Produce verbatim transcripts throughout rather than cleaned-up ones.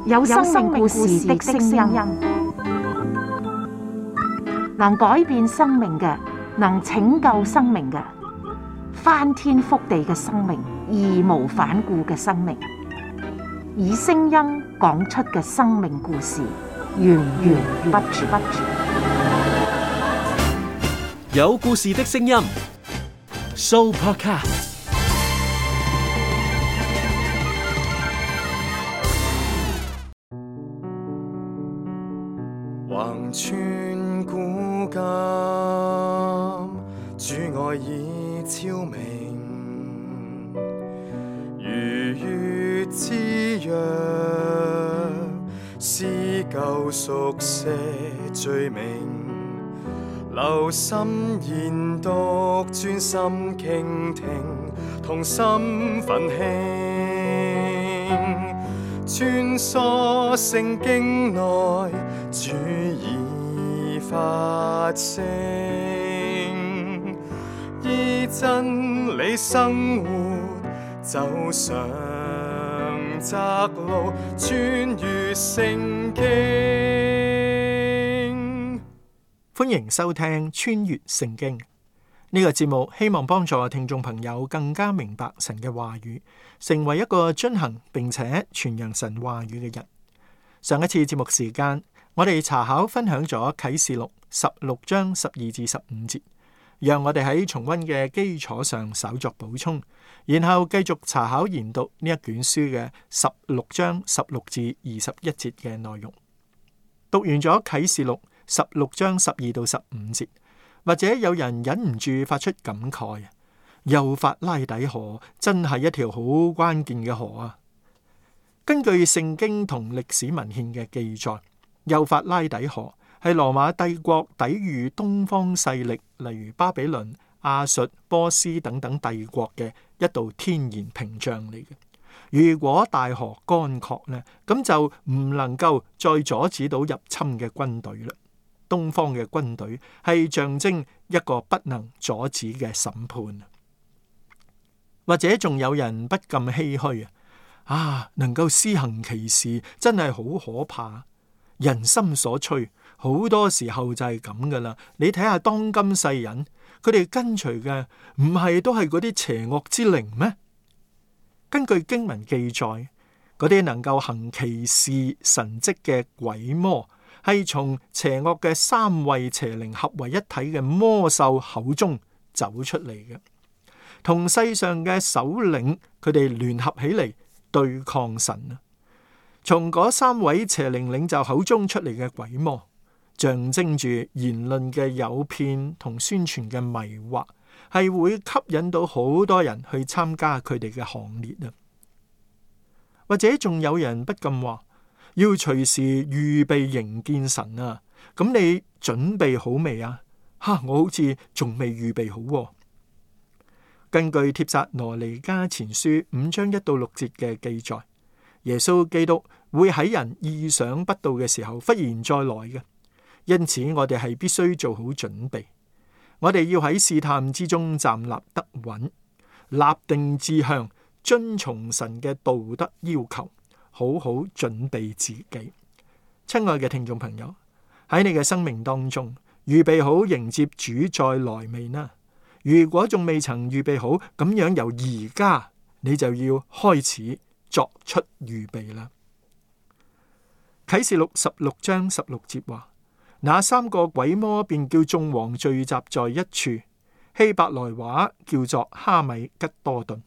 有生命故事的聲音，能改變生命嘅，能拯救生命嘅，翻天覆地嘅生命，義無反顧嘅生命，以聲音講出嘅生命故事，源源不絕。有故事的聲音 ，Sooopodcast。橫穿古今，主愛已超明，如月之約，撕舊熟寫罪名，留心研讀，專心傾聽，同心奮興，穿梭聖經內，主已發聲，依真理生活，走上窄路，穿越聖經。歡迎收聽穿越聖經呢個節目，希望幫助聽眾朋友更加明白神嘅話語，成為一個遵行並且傳揚神話語嘅人。上一次節目時間，我哋查考分享咗啟示錄十六章十二至十五節，讓我哋喺重溫嘅基礎上稍作補充，然後繼續查考研讀呢一卷書嘅十六章十六至二十一節嘅內容。讀完咗啟示錄十六章十二到十五節，或者有人忍唔住發出感慨：幼發拉底河真係一條好關鍵嘅河啊！根據聖經同歷史文獻嘅記載，幼發拉底河係羅馬帝國抵禦東方勢力，例如巴比倫、亞述、波斯等等帝國嘅一道天然屏障嚟嘅。如果大河乾涸呢，咁就唔能夠再阻止到入侵嘅軍隊啦。東方嘅軍隊係象徵一個不能阻止嘅審判。或者仲有人不禁唏噓啊！啊，能夠施行奇事真係好可怕。人心所趨，好多時候就係咁噶啦。你睇下當今世人，佢哋跟隨嘅唔係都係嗰啲邪惡之靈咩？根據經文記載，嗰啲能夠行奇事神蹟嘅鬼魔，係從邪惡嘅三位邪靈合為一體嘅魔獸口中走出嚟嘅，同世上嘅首領佢哋聯合起嚟對抗神啊！從嗰三位邪靈領袖口中出嚟嘅鬼魔，象徵住言論嘅誘騙同宣傳嘅迷惑，係會吸引到好多人去參加佢哋嘅行列啊！或者仲有人不禁話，要隨時預備迎見神啊！咁你準備好未啊？哈！我好似仲未預備好喎。根據帖撒羅尼迦前書五章一到六節嘅記載，耶穌基督會喺人意想不到嘅時候忽然再來嘅，因此我哋係必須做好準備。我哋要喺試探之中站立得穩，立定志向，遵從神嘅道德要求，好好準備自己。親愛嘅聽眾朋友，喺你嘅生命當中，預備好迎接主再來未呢？如果仲未曾預備好，咁樣由而家你就要開始作出預備啦。啟示錄十六章十六節話：那三個鬼魔便叫眾王聚集在一處，希伯來話叫做哈米吉多頓。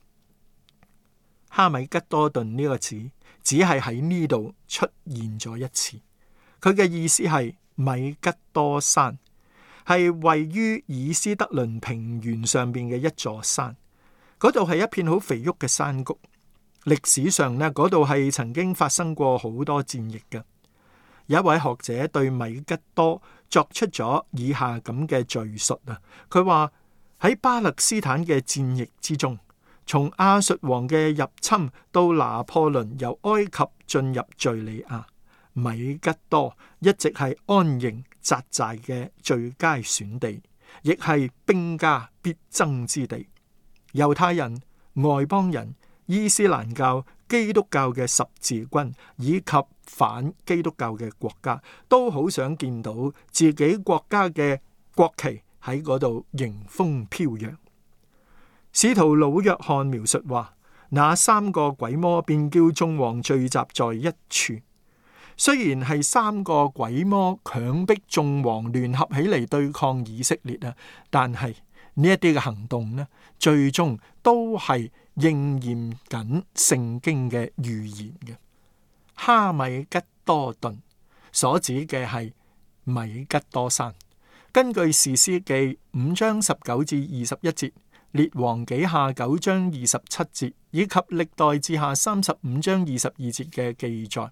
哈米吉多頓呢個字只係喺呢度出現咗一次，佢嘅意思係米吉多山，係位於以斯德倫平原上邊嘅一座山，嗰度係一片好肥沃嘅山谷。歷史上呢，嗰度係曾經發生過好多戰役嘅。有一位學者對米吉多作出咗以下咁嘅敘述啊，佢話喺巴勒斯坦嘅戰役之中，從亞述王嘅入侵到拿破崙由埃及進入敘利亞，米吉多一直係安營紮寨嘅最佳選地，亦係兵家必爭之地。猶太人、外邦人、伊斯蘭教、基督教嘅十字軍以及反基督教嘅國家，都好想見到自己國家嘅國旗喺嗰度迎風飄揚。使徒老約翰描述話，那三個鬼魔便叫眾王聚集在一處。雖然係三個鬼魔強迫眾王聯合起嚟對抗以色列啊，但係呢一啲嘅行動呢，最終都係應驗緊聖經嘅預言嘅。哈米吉多頓所指嘅係米吉多山。根據士師記五章十九至二十一節、列王紀下九章二十七節以及歷代志下三十五章二十二節嘅記載，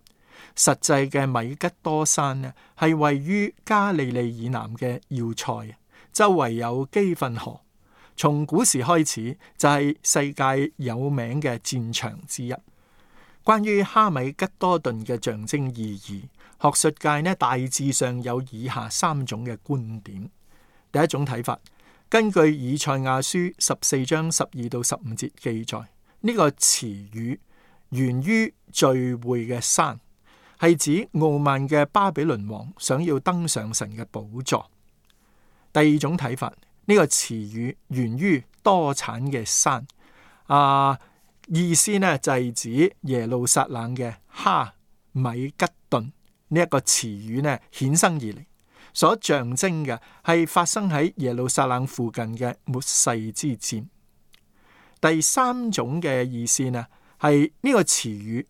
實際嘅米吉多山呢，係位於加利利以南嘅要塞，周圍有基訓河，從古時開始就係世界有名嘅戰場之一。關於哈米吉多頓嘅象徵意義，學術界呢大致上有以下三種嘅觀點。第一種睇法，根據以賽亞書十四章十二到十五節記載，呢、這個詞語源於聚會嘅山，係指傲慢嘅巴比倫王想要登上神嘅寶座。第二種睇法，呢、這個詞語源於多產嘅山，啊，意思呢就係、是、指耶路撒冷嘅哈米吉頓呢一個詞語呢衍生而嚟，所象徵嘅係發生喺耶路撒冷附近嘅末世之戰。第三種嘅意思呢係呢個詞語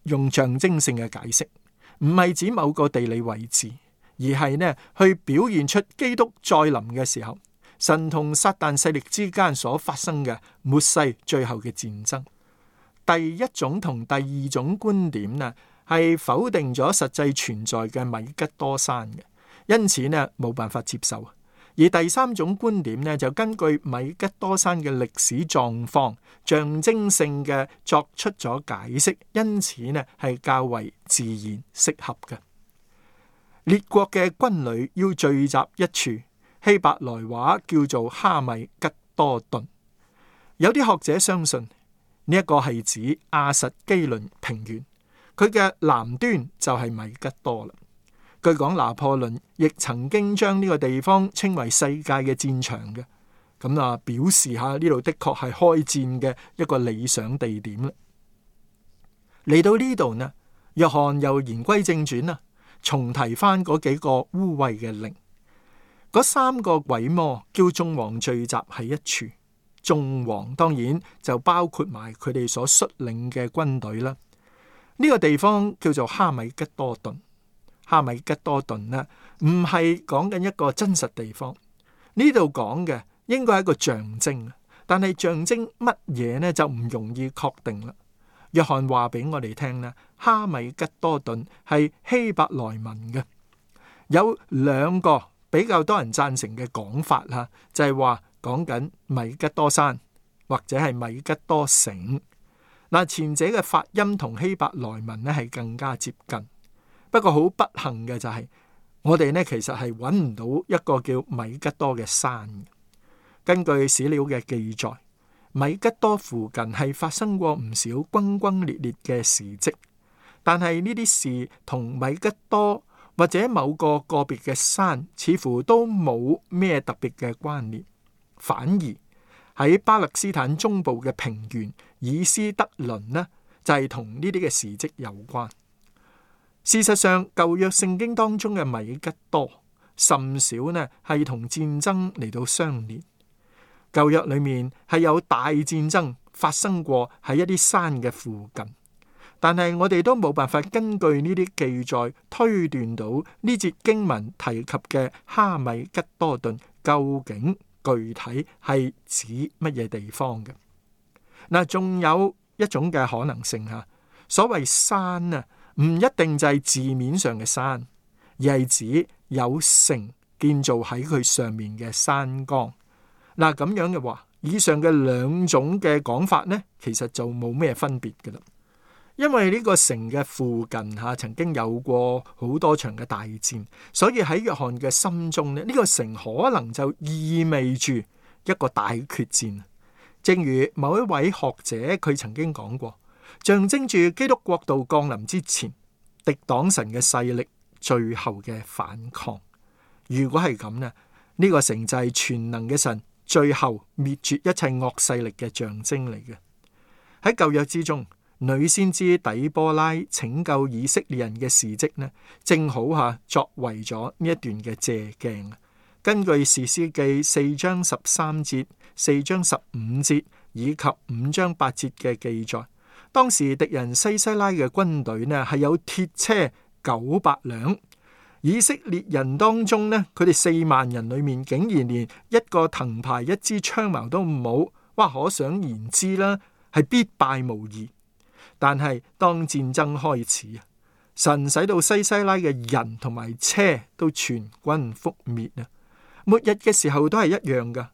用象徵性嘅解釋，唔係指某個地理位置，而係呢去表現出基督再臨嘅時候，神同撒旦勢力之間所發生嘅末世最後嘅戰爭。第一種同第二種觀點呢，係否定咗實際存在嘅米吉多山嘅，因此呢冇辦法接受。而第三種觀點呢，就根據米吉多山嘅歷史狀況，象徵性嘅作出咗解釋，因此呢係較為自然適合嘅。列國嘅軍旅要聚集一處，希伯來話叫做哈米吉多頓。有啲學者相信呢一個係指亞實基倫平原，佢嘅南端就係米吉多啦。據講拿破崙亦曾經將呢個地方稱為世界嘅戰場嘅，咁啊表示下呢度的確係開戰嘅一個理想地點啦。嚟到呢度呢，約翰又言歸正傳啦，重提翻嗰幾個污穢嘅靈，嗰三個鬼魔叫眾王聚集喺一處。眾王當然就包括埋佢哋所率領嘅軍隊啦。呢個地方叫做哈米吉多頓。哈米吉多頓呢，唔係講緊一個真實地方，呢度講嘅應該係一個象徵，但係象徵乜嘢呢就唔容易確定啦。約翰話俾我哋聽呢，哈米吉多頓係希伯來文嘅，有兩個比較多人贊成嘅講法吓，就係話講緊米吉多山或者係米吉多城。嗱，前者嘅發音同希伯來文呢係更加接近。不過好不幸嘅就係、是，我哋呢其實係揾唔到一個叫米吉多嘅山。根據史料嘅記載，米吉多附近係發生過唔少轟轟烈烈嘅事蹟，但係呢啲事同米吉多或者某個個別嘅山似乎都冇咩特別嘅關聯，反而喺巴勒斯坦中部嘅平原以斯德倫呢，就係同呢啲嘅事蹟有關。事實上，舊約聖經當中嘅米吉多甚少呢係同戰爭嚟到相連。舊約裏面係有大戰爭發生過喺一啲山嘅附近，但係我哋都冇辦法根據呢啲記載推斷到呢節經文提及嘅哈米吉多頓究竟具體係指乜嘢地方嘅。嗱，仲有一種嘅可能性吓，所謂山啊，唔一定就係字面上嘅山，而係指有城建造喺佢上面嘅山崗。嗱，咁樣嘅話，以上嘅兩種嘅講法呢，其實就冇咩分別㗎啦。因為呢個城嘅附近吓曾經有過好多場嘅大戰，所以喺約翰嘅心中呢，呢個城可能就意味住一個大決戰。正如某一位學者佢曾經講過，象徵住基督國度降臨之前，敵擋神嘅勢力最後嘅反抗。如果係咁呢，呢個城就係全能嘅神最後滅絕一切惡勢力嘅象徵嚟嘅。喺舊約之中，女先知底波拉拯救以色列人嘅事蹟呢，正好吓作為咗呢一段嘅借鏡。根據士師記四章十三節、四章十五節以及五章八節嘅記載，當時敵人西西拉嘅軍隊呢係有鐵車九百輛，以色列人當中呢，佢哋四萬人裏面竟然連一個藤牌、一支槍矛都冇，哇！可想而知啦，係必敗無疑。但係當戰爭開始啊，神使到西西拉嘅人同埋車都全軍覆滅啊！末日嘅時候都係一樣噶，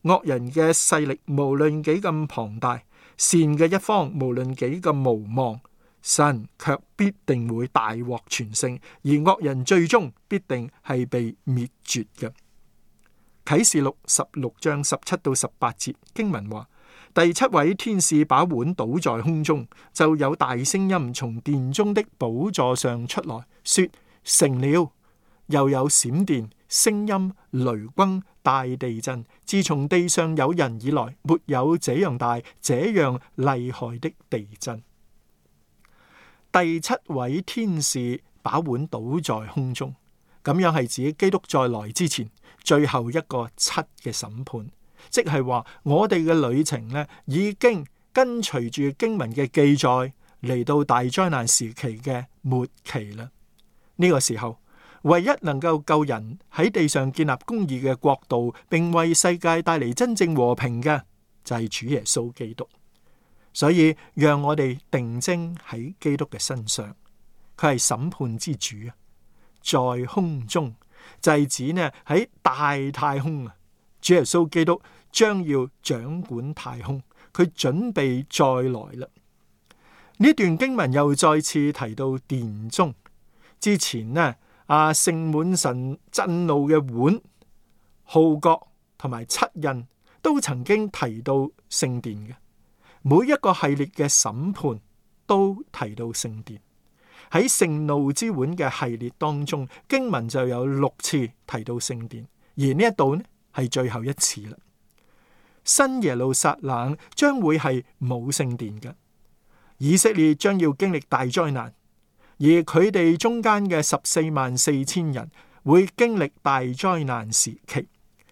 惡人嘅勢力無論幾咁龐大，善嘅一方無論幾咁無望，神卻必定會大獲全勝，而惡人最終必定係被滅絕嘅。啟示錄十六章十七到十八節經文話，第七位天使把碗倒在空中，就有大聲音從殿中的寶座上出來，說成了。又有閃電、聲音、雷轟、大地震，自從地上有人以來，沒有這樣大、這樣厲害的地震。第七位天使把碗倒在空中，咁樣係指基督再來之前最後一個七嘅審判，即係話我哋嘅旅程呢，已經跟隨住經文嘅記載嚟到大災難時期嘅末期啦。呢、這個時候，唯一能夠救人喺地上建立公義嘅國度，並為世界帶嚟真正和平嘅，就係主耶穌基督。所以讓我哋定睛喺基督嘅身上，佢係審判之主啊！在空中就係指呢喺大太空啊，主耶穌基督將要掌管太空，佢準備再來啦。呢段經文又再次提到殿中，之前呢啊盛滿神震怒嘅碗、號角同埋七印都曾經提到聖殿嘅。每一個系列嘅審判都提到聖殿。喺盛怒之碗嘅系列當中，經文就有六次提到聖殿，而呢一度呢係最後一次啦。新耶路撒冷將會係冇聖殿嘅，以色列將要經歷大災難，而佢哋中間嘅十四萬四千人會經歷大災難時期，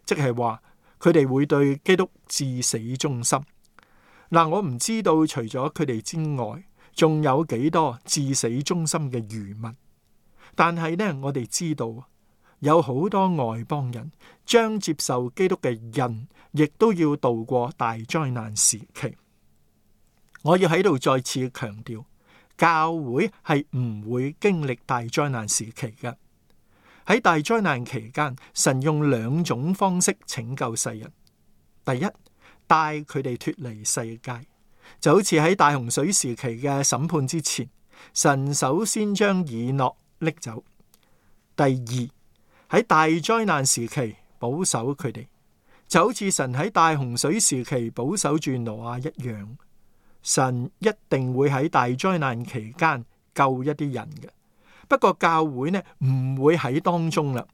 即係話佢哋會對基督至死忠心。嗱，我唔知道除咗佢哋之外，仲有幾多至死忠心嘅餘民。但係呢，我哋知道有好多外邦人將接受基督嘅印，亦都要度過大災難時期。我要喺度再次強調，教會係唔會經歷大災難時期嘅。喺大災難期間，神用兩種方式拯救世人。第一，帶佢哋脫離世界，就好似喺大洪水時期嘅審判之前，神首先將以諾拎走。第二，喺大災難時期保守佢哋，就好似神喺大洪水時期保守住挪亞一樣。神一定會喺大災難期間救一啲人嘅，不過教會呢唔會喺當中啦。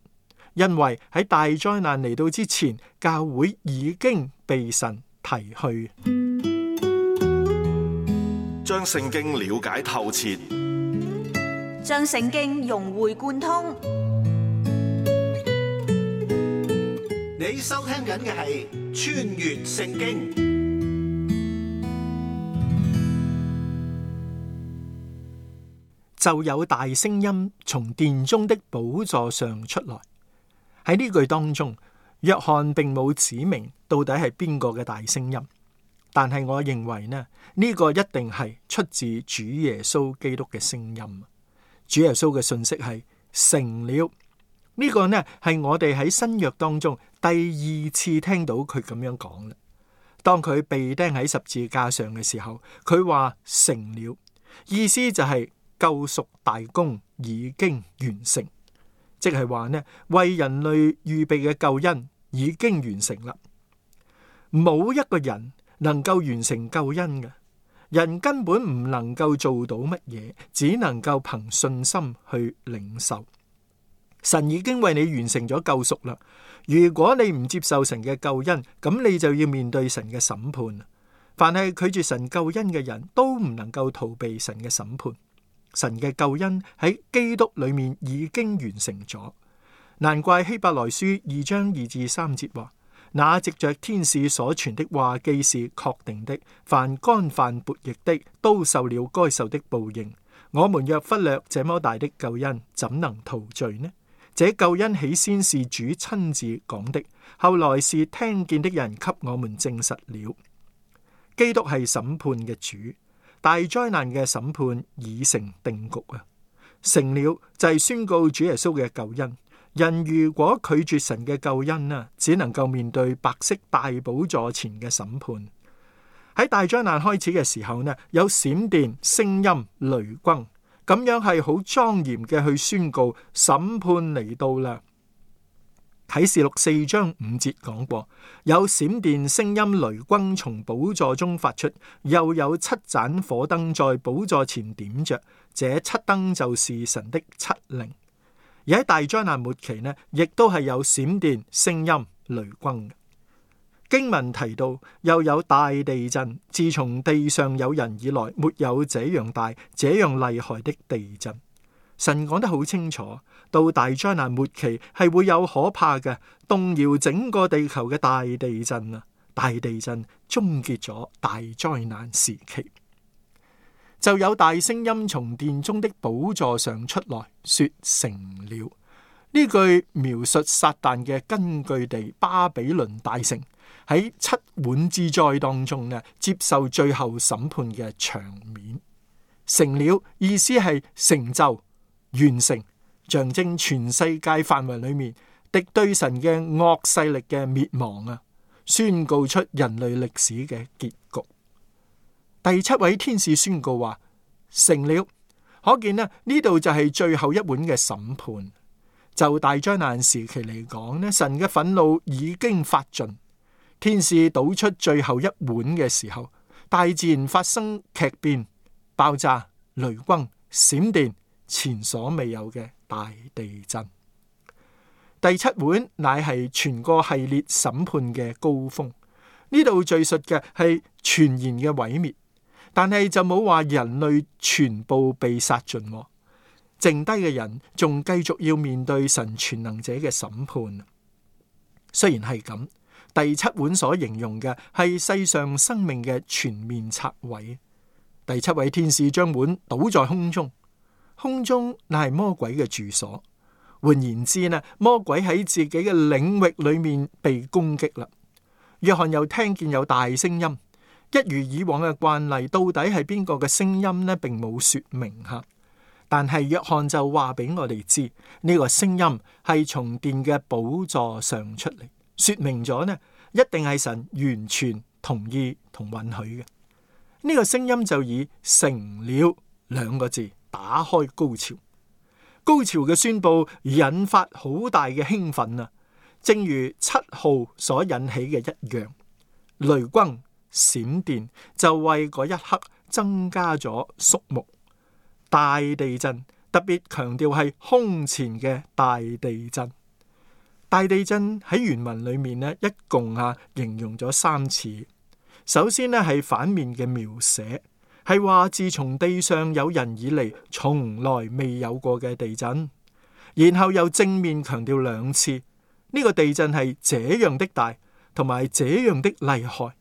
因為喺大災難嚟到之前，教會已經被神提去，將聖經了解透徹，將聖經融會貫通。你收聽緊嘅係穿越聖經。就有大聲音從殿中的寶座上出來。喺呢句當中，約翰並冇指明到底係邊個嘅大聲音，但係我認為呢，呢、呢個一定係出自主耶穌基督嘅聲音。主耶穌嘅信息係成了，呢、呢個呢係我哋喺新約當中第二次聽到佢咁樣講啦。當佢被釘喺十字架上嘅時候，佢話成了，意思就係救贖大功已經完成。即係話呢，為人類預備嘅救恩已經完成啦。冇一個人能夠完成救恩嘅，人根本唔能夠做到乜嘢，只能夠憑信心去領受。神已經為你完成咗救贖啦。如果你唔接受神嘅救恩，咁你就要面對神嘅審判。凡係拒絕神救恩嘅人都唔能夠逃避神嘅審判。神嘅救恩喺基督裏面已經完成咗。難怪希伯來書二章二至三節話：那藉着天使所傳的話既是確定的，凡干犯悖逆的都受了該受的報應。我們若忽略這麼大的救恩，怎能逃罪呢？這救恩起先是主親自講的，後來是聽見的人給我們證實了。基督係審判嘅主，大災難嘅審判已成定局啊！成了就係宣告主耶穌嘅救恩。人如果拒絕神嘅救恩啊，只能夠面對白色大寶座前嘅審判。喺大災難開始嘅時候呢，有閃電、聲音、雷轟。咁樣係好莊嚴嘅去宣告審判嚟到啦。啟示錄四章五節講過，有閃電、聲音、雷轟從寶座中發出，又有七盞火燈在寶座前點着，這七燈就是神的七靈。而喺大災難末期呢，亦都係有閃電、聲音、雷轟。經文提到又有大地震，自從地上有人以來，沒有這樣大、這樣厲害的地震。神講得好清楚，到大災難末期係會有可怕嘅動搖整個地球嘅大地震啊！大地震終結咗大災難時期，就有大聲音從殿中的寶座上出來，說成了。呢句描述撒旦嘅根據地巴比倫大城喺七碗之災當中呢，接受最後審判嘅場面。成了意思係成就、完成，象徵全世界範圍裏面敵對神嘅惡勢力嘅滅亡啊，宣告出人類歷史嘅結局。第七位天使宣告話成了，可見呢呢度就係最後一碗嘅審判。就大災難時期嚟講呢，神嘅憤怒已經發盡。天使倒出最後一碗嘅時候，大自然發生劇變、爆炸、雷轟、閃電，前所未有嘅大地震。第七碗乃係全個系列審判嘅高峰。呢度敘述嘅係全然嘅毀滅，但係就冇話人類全部被殺盡。剩低嘅人仲繼續要面對神全能者嘅審判。雖然係咁，第七碗所形容嘅係世上生命嘅全面拆毀。第七位天使將碗倒在空中，空中乃係魔鬼嘅住所。換言之呢，魔鬼喺自己嘅領域裏面被攻擊啦。約翰又聽見有大聲音，一如以往嘅慣例，到底係邊個嘅聲音呢？並冇說明吓。但係約翰就話俾我哋知，呢個聲音係從殿嘅寶座上出嚟，說明咗呢，一定係神完全同意同允許嘅。呢個聲音就以成了兩個字打開高潮。高潮嘅宣布引發好大嘅興奮啊，正如七號所引起嘅一樣。雷轟閃電就為嗰一刻增加咗肅穆。大地震特別強調係空前嘅大地震。大地震喺原文裏面呢，一共啊形容咗三次。首先呢係反面嘅描寫，係話自從地上有人以嚟，從來未有過嘅地震。然後又正面強調兩次，呢、這個地震係這樣的大，同埋這樣的厲害。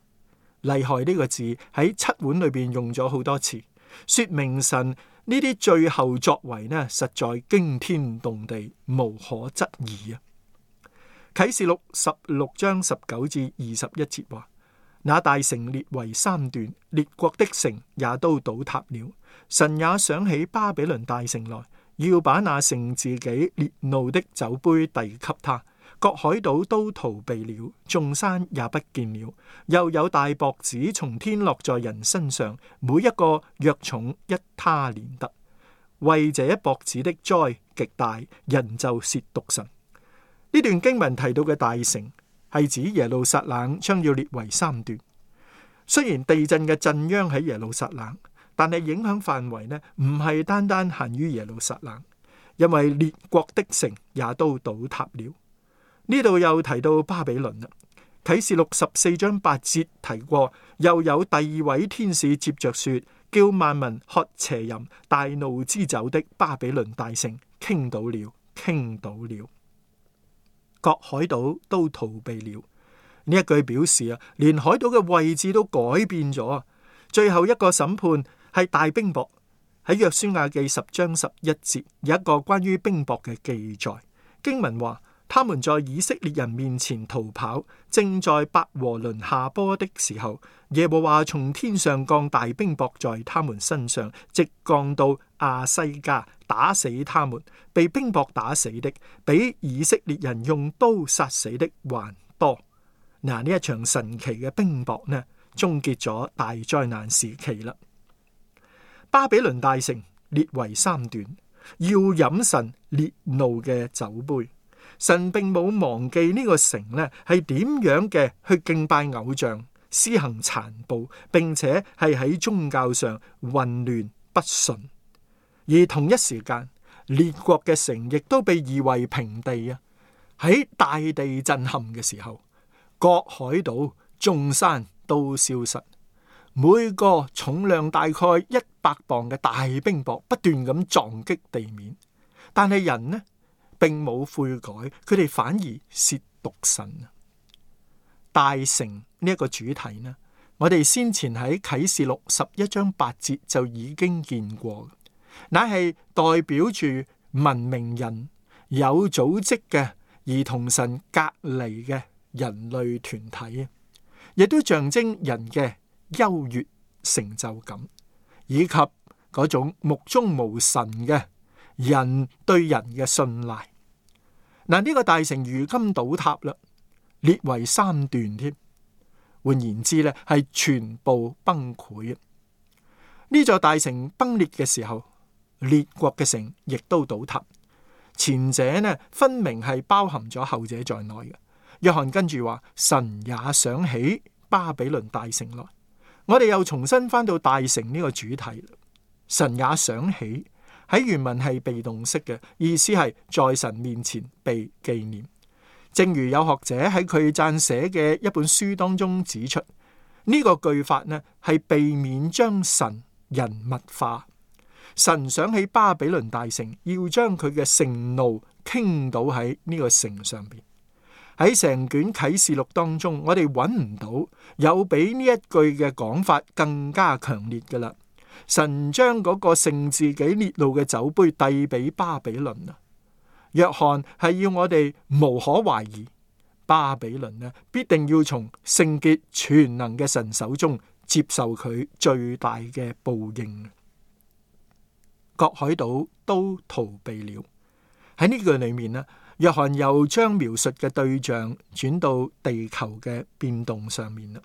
厲害呢個字喺七碗裏邊用咗好多次，說明神呢啲最後作為呢，實在驚天動地，無可質疑啊！啟示錄十六章十九至二十一節話：那大城裂為三段，列國的城也都倒塌了。神也想起巴比倫大城來，要把那盛自己烈怒的酒杯遞給他。各海島都逃避了，眾山也不見了。又有大雹子從天落在人身上，每一個約重一他連得。為這一雹子的災極大，人就褻瀆神。呢段經文提到嘅大城係指耶路撒冷將要裂為三段。雖然地震嘅震央喺耶路撒冷，但係影響範圍呢唔係單單限於耶路撒冷，因為列國的城也都倒塌了。呢度又提到巴比倫啦。啟示錄十四章八節提過，又有第二位天使接着說，叫萬民喝邪淫大怒之酒的巴比倫大城傾倒了，傾倒了，各海島都逃避了。呢一句表示啊，連海島嘅位置都改變咗。最後一個審判係大冰雹。喺約書亞記十章十一節有一個關於冰雹嘅記載，經文話，他們在以色列人面前逃跑，正在伯和倫下坡的時候，耶和華從天上降大冰雹在他們身上，直降到亞西加，打死他們。被冰雹打死的，比以色列人用刀殺死的還多。嗱，呢一場神奇嘅冰雹呢，終結咗大災難時期啦。巴比倫大城列為三段，要飲神烈怒嘅酒杯。神並冇忘記呢個城呢係點樣嘅去敬拜偶像、施行殘暴，並且係喺宗教上混亂不順。而同一時間，列國嘅城亦都被夷為平地啊！喺大地震撼嘅時候，各海島、眾山都消失。每個重量大概一百磅嘅大冰雹不斷咁撞擊地面，但係人呢並冇悔改，佢哋反而褻瀆神。大城呢一個主題呢，我哋先前喺啟示錄十一章八節就已經見過，乃係代表住文明人、有組織嘅而同神隔離嘅人類團體，亦都象徵人嘅優越成就感，以及嗰種目中無神嘅人對人嘅信賴。嗱，呢個大城如今倒塌啦，列為三段添。換言之咧，係全部崩潰。呢座大城崩裂嘅時候，列國嘅城亦都倒塌。前者呢，分明係包含咗後者在內嘅。約翰跟住話，神也想起巴比倫大城來。我哋又重新翻到大城呢個主題。神也想起喺原文係被動式嘅，意思係在神面前被紀念。正如有學者喺佢撰寫嘅一本書當中指出，呢個句法呢係避免將神人物化。神想起巴比倫大城，要將佢嘅盛怒傾倒喺呢個城上邊。喺成卷啟示錄當中，我哋揾唔到有比呢一句嘅講法更加強烈㗎喇。神將嗰個盛自己烈怒嘅酒杯遞俾巴比倫啊！約翰係要我哋無可懷疑，巴比倫呢必定要從聖潔全能嘅神手中接受佢最大嘅報應。各海島都逃避了。喺呢句裏面呢，約翰又將描述嘅對象轉到地球嘅變動上面啦。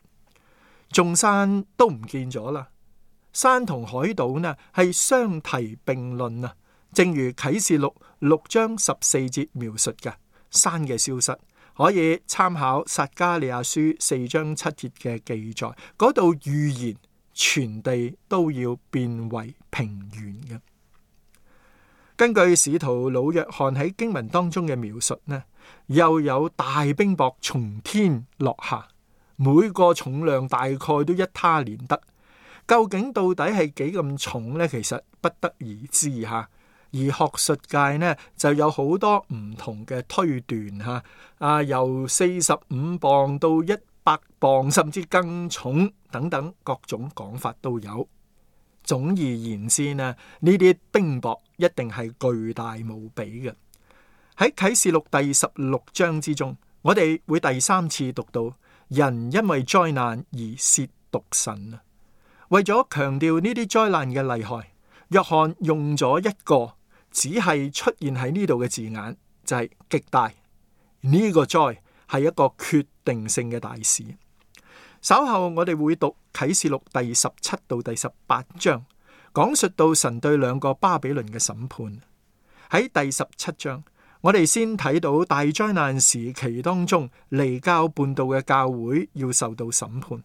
眾山都唔見咗啦，山同海島呢係相提並論啊。正如啟示錄六章十四節描述嘅，山嘅消失可以參考撒迦利亞書四章七節嘅記載，嗰度預言全地都要變為平原嘅。根據使徒老約翰喺經文當中嘅描述呢，又有大冰雹從天落下，每個重量大概都一他連得。究竟到底係幾咁重呢？其實不得而知吓。而學術界呢就有好多唔同嘅推斷吓，啊由四十五磅到一百磅，甚至更重等等，各種講法都有。總而言之呢，呢啲冰雹一定係巨大無比嘅。喺啟示錄第十六章之中，我哋會第三次讀到人因為災難而褻瀆神啊。為咗強調呢啲災難嘅厲害，約翰用咗一個只係出現喺呢度嘅字眼，就係極大。呢個災係一個決定性嘅大事。稍後我哋會讀啟示錄第十七到第十八章，講述到神對兩個巴比倫嘅審判。喺第十七章，我哋先睇到大災難時期當中離教叛道嘅教會要受到審判。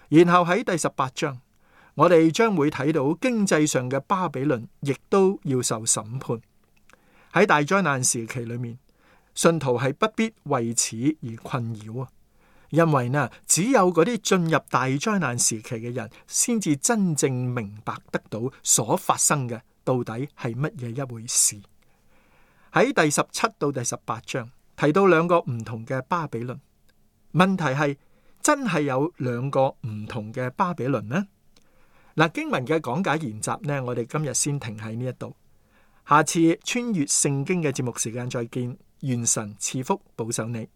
然後喺第十八章，我哋將會睇到經濟上嘅巴比倫亦都要受審判。喺大災難時期裏面，信徒係不必為此而困擾啊，因為呢，只有嗰啲進入大災難時期嘅人，先至真正明白得到所發生嘅到底係乜嘢一回事。喺第十七到第十八章提到兩個唔同嘅巴比倫，問題係真係有兩個唔同嘅巴比倫呢？嗱，經文嘅講解研習呢，我哋今日先停喺呢一度，下次穿越聖經嘅節目時間再見，願神賜福保守你。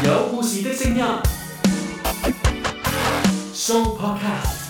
有故事的聲音，Show Podcast。